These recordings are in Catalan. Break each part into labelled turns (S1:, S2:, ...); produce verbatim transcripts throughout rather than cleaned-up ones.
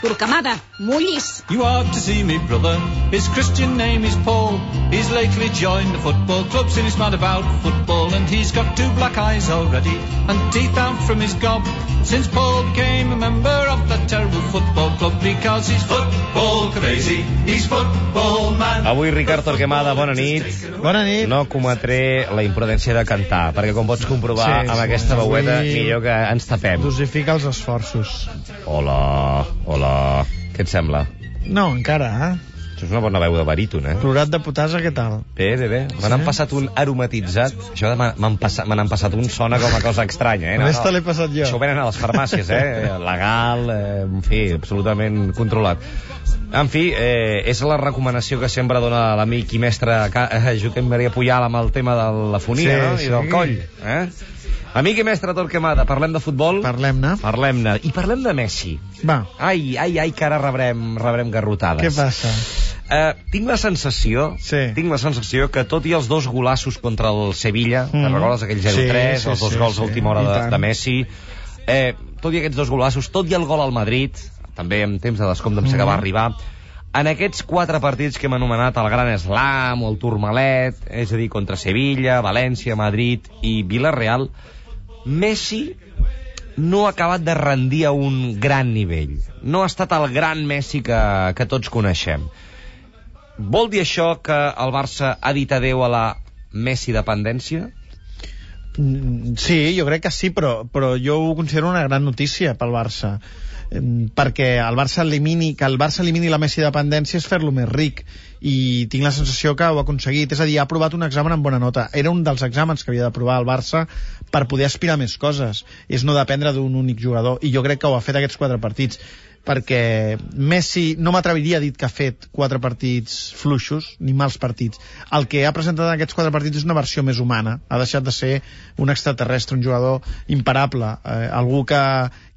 S1: Torquemada, mullis.
S2: You are to see me brother, his Christian name is Paul. He's lately joined the football club, since he's mad about football. And he's got two black eyes already, and teeth out from his gob, since Paul became a member of that terrible football club, because he's football crazy, he's football man.
S3: Avui, Ricard Torquemada, bona nit.
S4: Bona nit.
S3: No cometré la imprudència de cantar, perquè com pots comprovar, sí, amb sí, aquesta veueta, avui... millor que ens tapem.
S4: Dosifica els esforços.
S3: Hola, hola. Què et sembla?
S4: No, encara, eh?
S3: Això és una bona veu de baríton, eh?
S4: Plorat de potasa, què tal?
S3: Bé, bé, bé. Me n'han sí? passat un aromatitzat. Això de m'han passat, me n'han passat un sona com a cosa estranya, eh? No,
S4: Aquesta no, l'he passat jo.
S3: Això ho venen a les farmàcies, eh? Legal, eh, en fi, absolutament controlat. En fi, eh, és la recomanació que sempre dona l'amic i mestre eh, Joaquim Maria Pujal amb el tema de la fonia, sí, no? I sí. del coll, eh? Amic i mestre Torquemada, parlem de futbol?
S4: Parlem-ne.
S3: Parlem-ne. I parlem de Messi.
S4: Va.
S3: Ai, ai, ai, que ara rebrem, rebrem garrotades.
S4: Què passa?
S3: Uh, tinc la sensació
S4: sí.
S3: tinc la sensació que tot i els dos golassos contra el Sevilla, mm. te'n recordes aquell zero tres, sí, sí, els dos sí, gols sí. a última hora de, de Messi, eh, tot i aquests dos golassos, tot i el gol al Madrid, també en temps de descompte em sé mm. que va arribar, en aquests quatre partits que hem anomenat el Gran Slam o el Tourmalet, és a dir, contra Sevilla, València, Madrid i Villarreal, Messi no ha acabat de rendir a un gran nivell. No ha estat el gran Messi que, que tots coneixem. Vol dir això que el Barça ha dit adeu a la Messi dependència?
S4: Sí, jo crec que sí, però, però jo ho considero una gran notícia pel Barça, perquè el Barça elimini, que el Barça elimini la Messi dependència és fer-lo més ric, i tinc la sensació que ho ha aconseguit. És a dir, ha aprovat un examen amb bona nota. Era un dels exàmens que havia d'aprovar el Barça per poder aspirar a més coses, és no dependre d'un únic jugador, i jo crec que ho ha fet aquests quatre partits, perquè Messi, no m'atreviria a dir que ha fet quatre partits fluixos ni mals partits. El que ha presentat en aquests quatre partits és una versió més humana, ha deixat de ser un extraterrestre, un jugador imparable, eh, algú que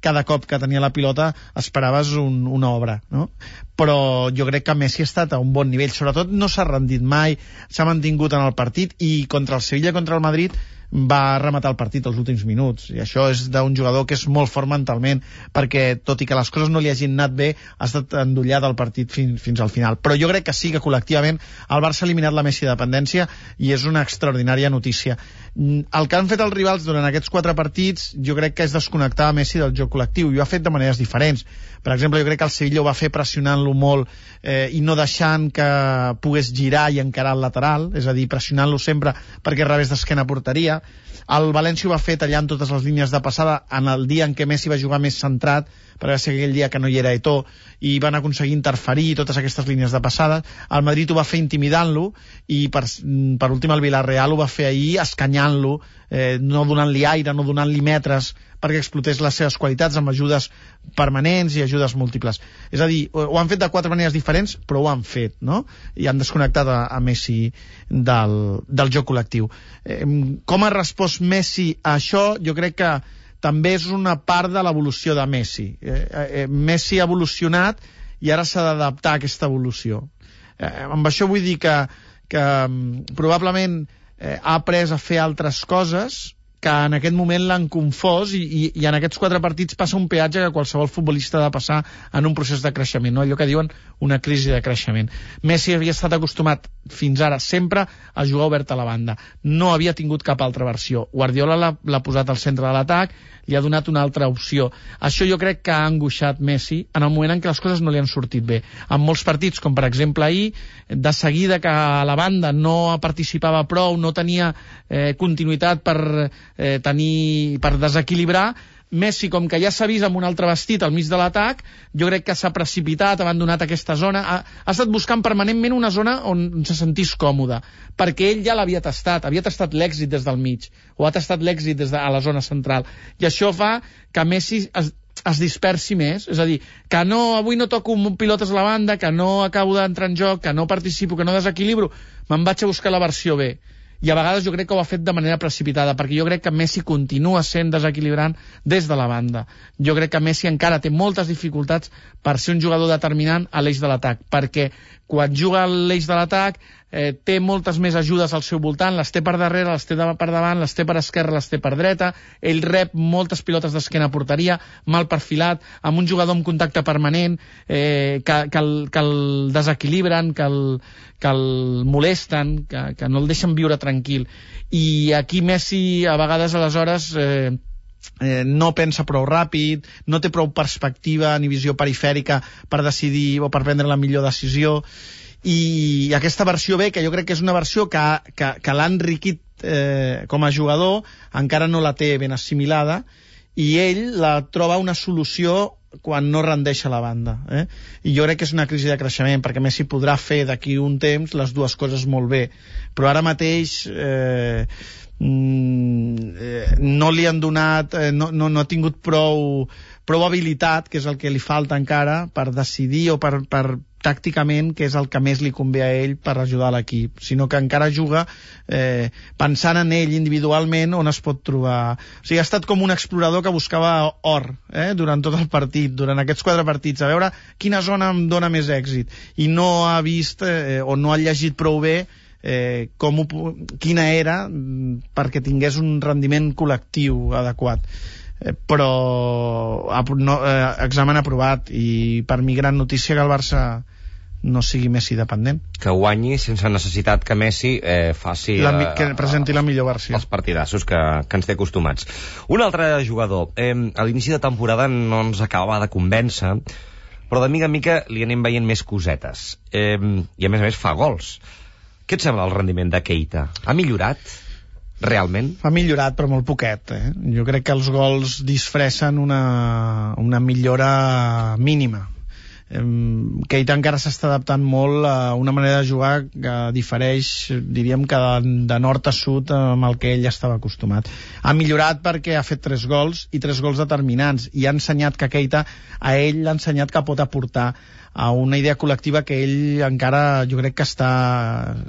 S4: cada cop que tenia la pilota esperaves un, una obra, no? Però jo crec que Messi ha estat a un bon nivell, sobretot no s'ha rendit mai, s'ha mantingut en el partit, i contra el Sevilla, contra el Madrid va rematar el partit als últims minuts, i això és d'un jugador que és molt fort mentalment, perquè tot i que les coses no li hagin anat bé, ha estat endollat al partit fins, fins al final. Però jo crec que sí, que col·lectivament el Barça ha eliminat la Messi dependència, i és una extraordinària notícia. El que han fet els rivals durant aquests quatre partits jo crec que és desconnectar Messi del joc col·lectiu, i ho ha fet de maneres diferents. Per exemple, jo crec que el Sevilla ho va fer pressionant-lo molt eh, i no deixant que pogués girar i encarar el lateral, és a dir, pressionant-lo sempre perquè rebés d'esquena a porteria. El València ho va fer tallant totes les línies de passada en el dia en què Messi va jugar més centrat, perquè va ser aquell dia que no hi era Eto'o, i van aconseguir interferir totes aquestes línies de passada. El Madrid ho va fer intimidant-lo, i per, per últim el Villarreal ho va fer ahir escanyant-lo, eh, no donant-li aire, no donant-li metres perquè explotés les seves qualitats amb ajudes permanents i ajudes múltiples. És a dir, ho han fet de quatre maneres diferents, però ho han fet, no? I han desconnectat a, a Messi del, del joc col·lectiu. Eh, com ha respost Messi a això? Jo crec que també és una part de l'evolució de Messi. Eh, eh, Messi ha evolucionat i ara s'ha d'adaptar a aquesta evolució. Eh, amb això vull dir que, que probablement eh, ha après a fer altres coses que en aquest moment l'han confós, i, i, i en aquests quatre partits passa un peatge que qualsevol futbolista ha de passar en un procés de creixement, no? Allò que diuen una crisi de creixement. Messi havia estat acostumat fins ara sempre a jugar obert a la banda, no havia tingut cap altra versió. Guardiola l'ha posat al centre de l'atac, li ha donat una altra opció. Això jo crec que ha angoixat Messi en el moment en què les coses no li han sortit bé. En molts partits, com per exemple ahir, de seguida que a la banda no participava prou, no tenia eh, continuïtat per eh, tenir, per desequilibrar, Messi, com que ja s'ha vist amb un altre vestit al mig de l'atac, jo crec que s'ha precipitat, ha abandonat aquesta zona, ha, ha estat buscant permanentment una zona on se sentís còmode, perquè ell ja l'havia tastat, havia tastat l'èxit des del mig, o ha tastat l'èxit des de a la zona central, i això fa que Messi es, es dispersi més, és a dir, que no, avui no toco pilotes a la banda, que no acabo d'entrar en joc, que no participo, que no desequilibro, me'n vaig a buscar la versió B. I a vegades jo crec que ho ha fet de manera precipitada, perquè jo crec que Messi continua sent desequilibrant des de la banda. Jo crec que Messi encara té moltes dificultats per ser un jugador determinant a l'eix de l'atac, perquè quan juga a l'eix de l'atac eh, té moltes més ajudes al seu voltant, les té per darrere, les té per davant, les té per esquerra, les té per dreta, ell rep moltes pilotes d'esquena a porteria, mal perfilat, amb un jugador amb contacte permanent, eh, que, que, el, que el desequilibren, que el, que el molesten, que, que no el deixen viure tranquil. I aquí Messi, a vegades, aleshores... Eh, Eh, no pensa prou ràpid, no té prou perspectiva ni visió perifèrica per decidir o per prendre la millor decisió, i aquesta versió B, que jo crec que és una versió que, que, que l'ha enriquit eh, com a jugador, encara no la té ben assimilada, i ell la troba una solució quan no rendeix a la banda, eh? I jo crec que és una crisi de creixement, perquè Messi podrà fer d'aquí un temps les dues coses molt bé, però ara mateix eh, no li han donat, no, no, no ha tingut prou, prou habilitat, que és el que li falta encara, per decidir o per, per tàcticament, que és el que més li convé a ell per ajudar l'equip, sinó que encara juga eh, pensant en ell individualment on es pot trobar. O sigui, ha estat com un explorador que buscava or eh, durant tot el partit, durant aquests quatre partits, a veure quina zona em dona més èxit, i no ha vist eh, o no ha llegit prou bé Eh, com ho, quina era perquè tingués un rendiment col·lectiu adequat, eh, però no, eh, examen aprovat, i per mi gran notícia que el Barça no sigui Messi dependent,
S3: que guanyi sense necessitat que Messi eh, faci
S4: la, que presenti la millor versió,
S3: els partidassos que, que ens té acostumats. Un altre jugador, eh, a l'inici de temporada no ens acabava de convèncer, però de mica en mica li anem veient més cosetes, eh, i a més a més fa gols. Què et sembla el rendiment de Keita? Ha millorat? Realment?
S4: Ha millorat, però molt poquet. Eh? Jo crec que els gols disfressen una, una millora mínima. Eh, Keita encara s'està adaptant molt a una manera de jugar que difereix, diríem que de, de nord a sud amb el que ell estava acostumat. Ha millorat perquè ha fet tres gols, i tres gols determinants, i ha ensenyat que Keita, a ell l'ha ensenyat que pot aportar a una idea col·lectiva que ell encara, jo crec que està,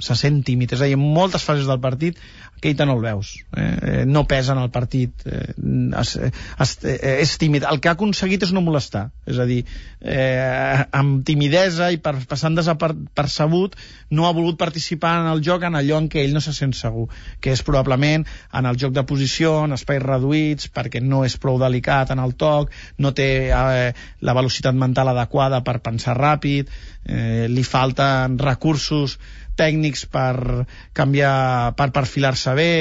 S4: se sent tímid. És a dir, en moltes fases del partit Keita no el veus, eh? no pesa en el partit, eh? es, es, eh, és tímid. El que ha aconseguit és no molestar, és a dir, eh, amb timidesa i per, passant desapercebut, no ha volgut participar en el joc en allò en què ell no se sent segur, que és probablement en el joc de posició, en espais reduïts, perquè no és prou delicat en el toc, no té eh, la velocitat mental adequada per pensar ràpid, eh, li falten recursos tècnics per canviar, per perfilar-se bé,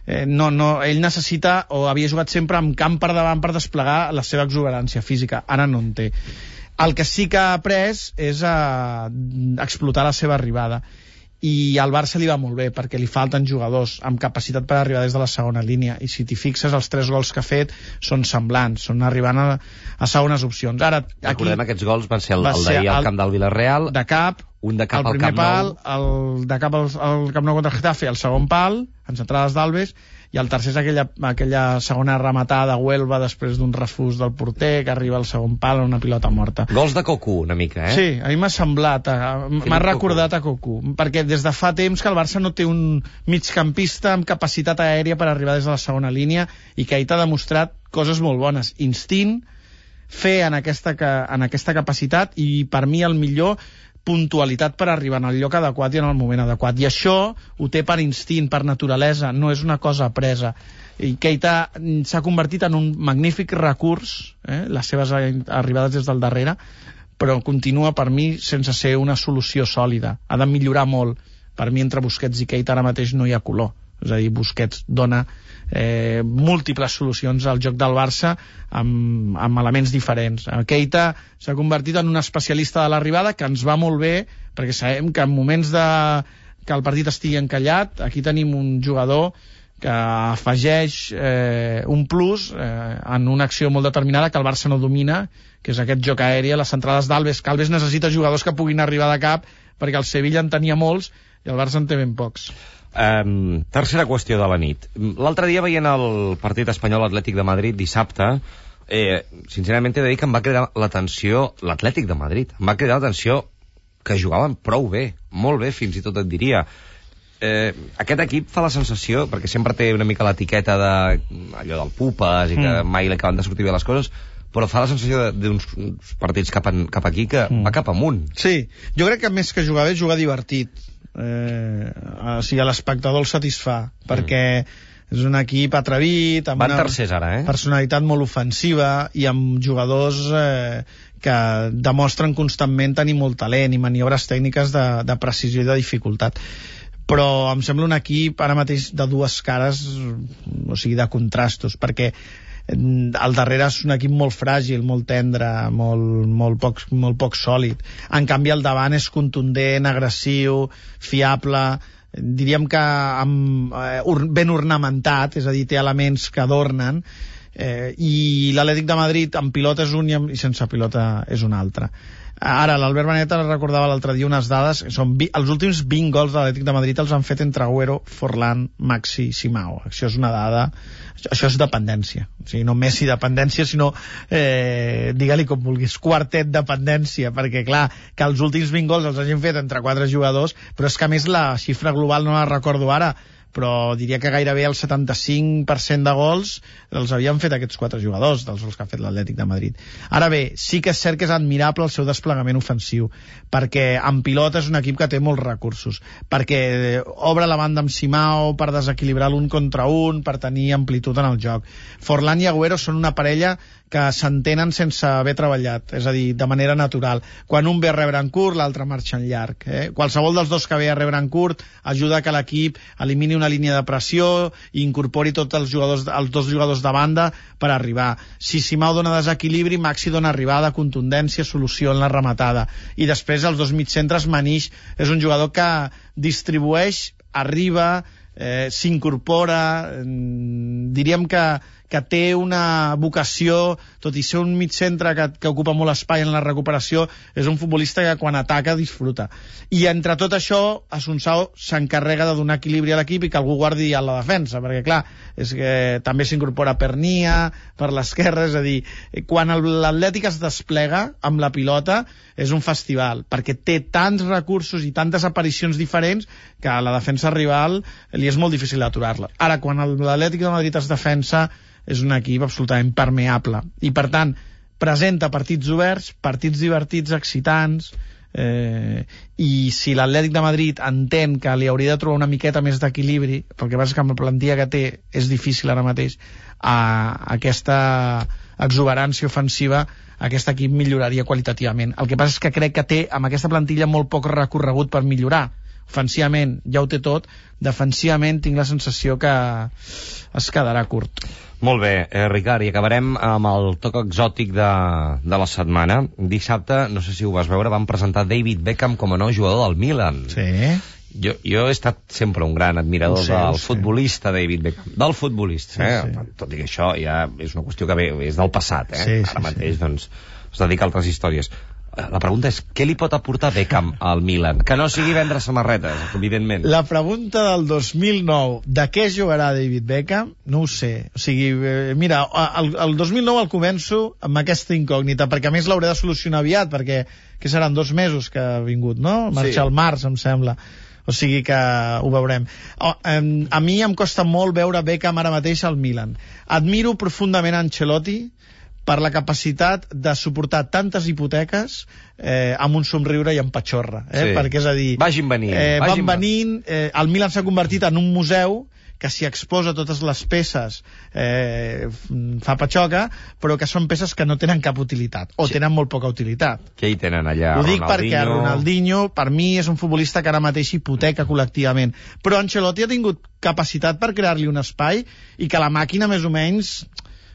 S4: eh, no, no, ell necessita, o havia jugat sempre amb camp per davant per desplegar la seva exuberància física, ara no en té. El que sí que ha après és a explotar la seva arribada, i al Barça li va molt bé perquè li falten jugadors amb capacitat per arribar des de la segona línia, i si t'hi fixes els tres gols que ha fet són semblants, són arribant a, a segones opcions. Ara, aquí,
S3: recordem, aquests gols van ser el, el d'ahir al camp del Villarreal,
S4: de cap,
S3: un de cap
S4: al
S3: al Camp
S4: pal,
S3: Nou,
S4: el de cap al, al Camp Nou contra el Getafe, el segon pal en centrades d'Alves, i el tercer és aquella, aquella segona rematada a Huelva després d'un refús del porter que arriba al segon pal en una pilota morta.
S3: Gols de Cocu, una mica, eh?
S4: Sí, a mi m'ha semblat, m'ha recordat a Cocu, perquè des de fa temps que el Barça no té un migcampista amb capacitat aèria per arribar des de la segona línia, i que Keita ha demostrat coses molt bones, instint, fer en aquesta, en aquesta capacitat, i per mi el millor, puntualitat per arribar en el lloc adequat i en el moment adequat, i això ho té per instint, per naturalesa, no és una cosa apresa. I Keita s'ha convertit en un magnífic recurs, eh, les seves arribades des del darrere, però continua per mi sense ser una solució sòlida, ha de millorar molt. Per mi entre Busquets i Keita ara mateix no hi ha color, és a dir, Busquets dona eh, múltiples solucions al joc del Barça amb, amb elements diferents. Keita s'ha convertit en un especialista de l'arribada, que ens va molt bé, perquè sabem que en moments de, que el partit estigui encallat, aquí tenim un jugador que afegeix eh, un plus eh, en una acció molt determinada que el Barça no domina, que és aquest joc aeri, les centrades d'Alves, que Alves necessita jugadors que puguin arribar de cap, perquè el Sevilla en tenia molts i el Barça en té ben pocs.
S3: Um, tercera qüestió de la nit. L'altre dia, veient el partit espanyol Atlètic de Madrid dissabte, eh, sincerament he de dir que em va cridar l'atenció l'Atlètic de Madrid, em va cridar l'atenció que jugaven prou bé, molt bé fins i tot et diria. Eh, aquest equip fa la sensació, perquè sempre té una mica l'etiqueta de allò del pupes i que mm. mai li acaben de sortir bé les coses, però fa la sensació d'uns partits cap, en, cap aquí que mm. va cap amunt.
S4: Sí, jo crec que més que jugar bé, jugar divertit. eh, o sigui, l'espectador el satisfà, perquè és un equip atrevit, amb
S3: Van
S4: una
S3: tercers ara, eh?
S4: personalitat molt ofensiva i amb jugadors eh, que demostren constantment tenir molt talent i maniobres tècniques de, de precisió i de dificultat. Però em sembla un equip ara mateix de dues cares, o sigui, de contrastos, perquè al darrere és un equip molt fràgil, molt tendre, molt, molt, poc, molt poc sòlid. En canvi, al davant és contundent, agressiu, fiable, diríem que amb, eh, ben ornamentat, és a dir, té elements que adornen, eh, i l'Atlètic de Madrid amb pilota és un i, amb, i sense pilota és un altre. Ara, l'Albert Baneta recordava l'altre dia unes dades, són vi, els últims vint gols de l'Atlètic de Madrid els han fet entre Agüero, Forlán, Maxi i Simao. Això és una dada, això és dependència, o sigui, no Messi dependència, sinó eh, digue-li com vulguis, quartet dependència, perquè clar, que els últims vint gols els hagin fet entre quatre jugadors, però és que a més la xifra global no la recordo ara, però diria que gairebé el setanta-cinc per cent de gols els havien fet aquests quatre jugadors, dels gols que ha fet l'Atlètic de Madrid. Ara bé, sí que és cert que és admirable el seu desplegament ofensiu, perquè en pilota és un equip que té molts recursos, perquè obre la banda amb Simao per desequilibrar l'un contra un, per tenir amplitud en el joc. Forlán i Agüero són una parella que s'entenen sense haver treballat, és a dir, de manera natural. Quan un ve a rebre en curt, l'altre marxa en llarg. Eh? Qualsevol dels dos que ve a rebre en curt ajuda que l'equip elimini una línia de pressió i incorpori tots els jugadors, els dos jugadors de banda per arribar. Si Simao dona desequilibri, Maxi dona arribada, contundència, solució en la rematada. I després els dos mitcentres, Manish és un jugador que distribueix, arriba, eh, s'incorpora, eh, diríem que que té una vocació, tot i ser un mig centre que, que ocupa molt espai en la recuperació, és un futbolista que quan ataca disfruta. I entre tot això, Assunção s'encarrega de donar equilibri a l'equip i que algú guardi a la defensa, perquè clar, és que també s'incorpora Pernia per l'esquerra, és a dir, quan l'Atlètic es desplega amb la pilota és un festival, perquè té tants recursos i tantes aparicions diferents que a la defensa rival li és molt difícil aturar-la. Ara, quan l'Atlètic de Madrid es defensa, és un equip absolutament permeable i per tant presenta partits oberts, partits divertits, excitants, eh, i si l'Atlètic de Madrid entén que li hauria de trobar una miqueta més d'equilibri, pel que passa que amb la plantilla que té és difícil ara mateix, a aquesta exuberància ofensiva aquest equip milloraria qualitativament. El que passa és que crec que té amb aquesta plantilla molt poc recorregut per millorar. Ofensivament ja ho té tot, defensivament tinc la sensació que es quedarà curt.
S3: Molt bé, eh, Ricard, i acabarem amb el toc exòtic de, de la setmana. Dissabte, no sé si ho vas veure, van presentar David Beckham com a nou jugador del Milan.
S4: Sí.
S3: Jo, jo he estat sempre un gran admirador sé, del futbolista David Beckham. Del futbolista, sí, eh? Sí. Tot i que això ja és una qüestió que ve, és del passat, eh?
S4: Sí, sí,
S3: Ara mateix,
S4: sí.
S3: doncs, es dedica a altres històries. La pregunta és, què li pot aportar Beckham al Milan? Que no sigui vendre samarretes, evidentment.
S4: La pregunta del dos mil nou, de què jugarà David Beckham? No ho sé. O sigui, eh, mira, el, el dos mil nou el començo amb aquesta incògnita, perquè a més l'hauré de solucionar aviat, perquè que seran dos mesos que ha vingut, no? Marxa sí. Al març, em sembla. O sigui que ho veurem. Oh, eh, a mi em costa molt veure Beckham ara mateix al Milan. Admiro profundament Ancelotti per la capacitat de suportar tantes hipoteques eh, amb un somriure i amb patxorra, eh? Sí. Perquè és a dir,
S3: vagin venint,
S4: eh,
S3: vagin
S4: van venint, eh, el Milan s'ha convertit en un museu que s'hi exposa totes les peces, eh, fa patxoca, però que són peces que no tenen cap utilitat, o sí. Tenen molt poca utilitat.
S3: Què hi tenen allà?
S4: Ho dic
S3: Ronaldinho...
S4: perquè Ronaldinho, per mi, és un futbolista que ara mateix hipoteca col·lectivament, però Ancelotti ha tingut capacitat per crear-li un espai i que la màquina més o menys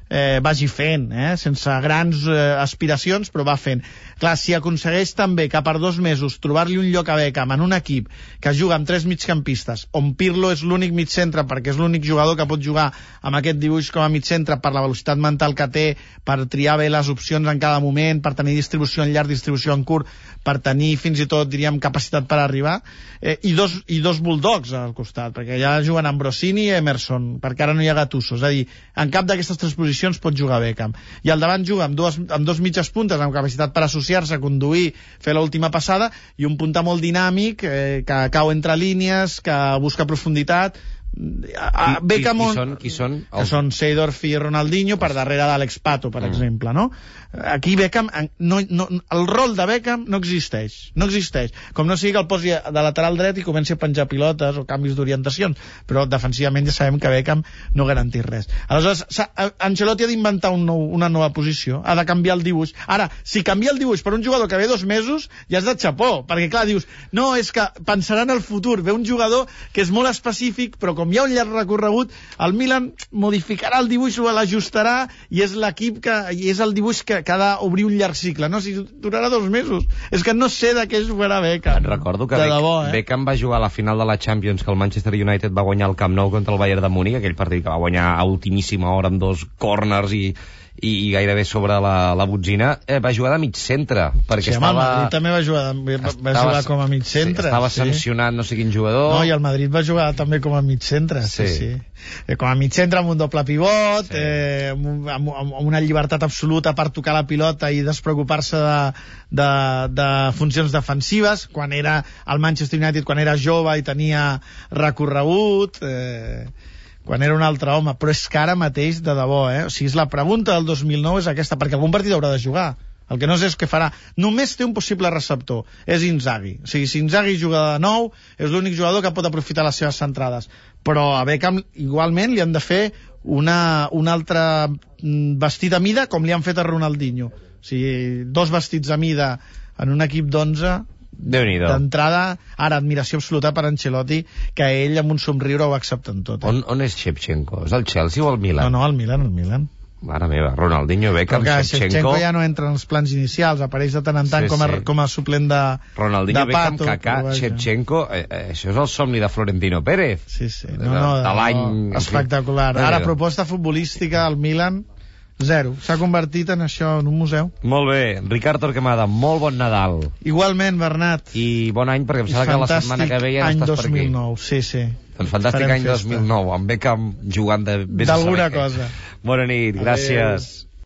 S4: eh, vagi fent, eh? Sense grans eh, aspiracions, però va fent. Clar, si aconsegueix també que per dos mesos trobar-li un lloc a Beckham en un equip que juga amb tres migcampistes, on Pirlo és l'únic migcentre perquè és l'únic jugador que pot jugar amb aquest dibuix com a migcentre per la velocitat mental que té, per triar bé les opcions en cada moment, per tenir distribució en llarg, distribució en curt, per tenir fins i tot, diríem, capacitat per arribar, eh, i, dos, i dos bulldogs al costat, perquè ja juguen Ambrosini i Emerson, perquè ara no hi ha Gattuso, és a dir, en cap d'aquestes tres posicions pot jugar Beckham. I al davant juga amb, dues, amb dos mitges puntes, amb capacitat per associar-se, conduir, fer l'última passada, i un punta molt dinàmic, eh, que cau entre línies, que busca profunditat. a Beckham,
S3: qui, qui són? Qui són?
S4: Que són Seedorf i Ronaldinho per darrere d'Àlex Pato, per mm. exemple, no? Aquí Beckham, no, no, el rol de Beckham no existeix, no existeix. Com no sigui que el posi de lateral dret i comenci a penjar pilotes o canvis d'orientacions, però defensivament ja sabem que Beckham no garanteix res. Aleshores, Ancelotti ha d'inventar un nou, una nova posició, ha de canviar el dibuix. Ara, si canvia el dibuix per un jugador que ve dos mesos, ja és de xapó, perquè clar, dius, no, és que pensarà en el futur, ve un jugador que és molt específic, però com hi ha un llarg recorregut, el Milan modificarà el dibuix o l'ajustarà i és l'equip que, i és el dibuix que, que ha d'obrir un llarg cicle, no? Si durarà dos mesos. És que no sé de què jugarà Beckham.
S3: Recordo que
S4: de
S3: Beck,
S4: debò, eh?
S3: Beckham va jugar a la final de la Champions, que el Manchester United va guanyar el Camp Nou contra el Bayern de Múnich, aquell partit que va guanyar a ultimíssima hora amb dos corners i i, i gairebé sobre la, la botzina, eh, va jugar de mig centre, perquè
S4: sí,
S3: estava...
S4: el Madrid també va jugar, va,
S3: estava,
S4: va jugar com a mig centre.
S3: Sí, estava
S4: sí.
S3: sancionat no sé quin jugador...
S4: No, i el Madrid va jugar també com a mig centre, sí, sí. sí. Com a mig centre amb un doble pivot, sí. eh, amb, amb, amb una llibertat absoluta per tocar la pilota i despreocupar-se de, de, de funcions defensives, quan era el Manchester United, quan era jove i tenia recorregut... Eh, quan era un altre home, però és que ara mateix de debò, eh? O sigui, és la pregunta del dos mil nou és aquesta, perquè algun partit haurà de jugar. El que no sé és què farà. Només té un possible receptor, és Inzaghi. O sigui, si Inzaghi juga de nou, és l'únic jugador que pot aprofitar les seves centrades. Però a Beckham igualment li han de fer una, un altre vestit a mida com li han fet a Ronaldinho. O sigui, dos vestits a mida en un equip d'onze... d'entrada, ara admiració absoluta per Ancelotti, que ell amb un somriure ho accepta en tot, eh?
S3: on, on és Shevchenko? És el Chelsea o el Milan?
S4: No, no, el Milan, el Milan.
S3: Mare meva, Ronaldinho, Beckham, Shevchenko...
S4: Shevchenko ja no entra en els plans inicials, apareix de tant en tant sí, com, a, sí. com a suplent de
S3: Ronaldinho,
S4: de
S3: Beckham,
S4: Pato,
S3: Kaká, Shevchenko, eh, eh, això és el somni de Florentino Pérez.
S4: Sí, sí, no,
S3: de,
S4: no,
S3: de l'any...
S4: No, espectacular. Ara, proposta futbolística al Milan... Zero. S'ha convertit en això, en un museu.
S3: Molt bé. Ricard Torquemada, molt bon Nadal.
S4: Igualment, Bernat.
S3: I bon any, perquè em sembla que la setmana que ve ja no estàs per aquí.
S4: Any dos mil nou, sí, sí.
S3: Doncs fantàstic any dos mil nou, amb Beckham jugant de...
S4: D'alguna cosa.
S3: Bona nit, gràcies. Adéu.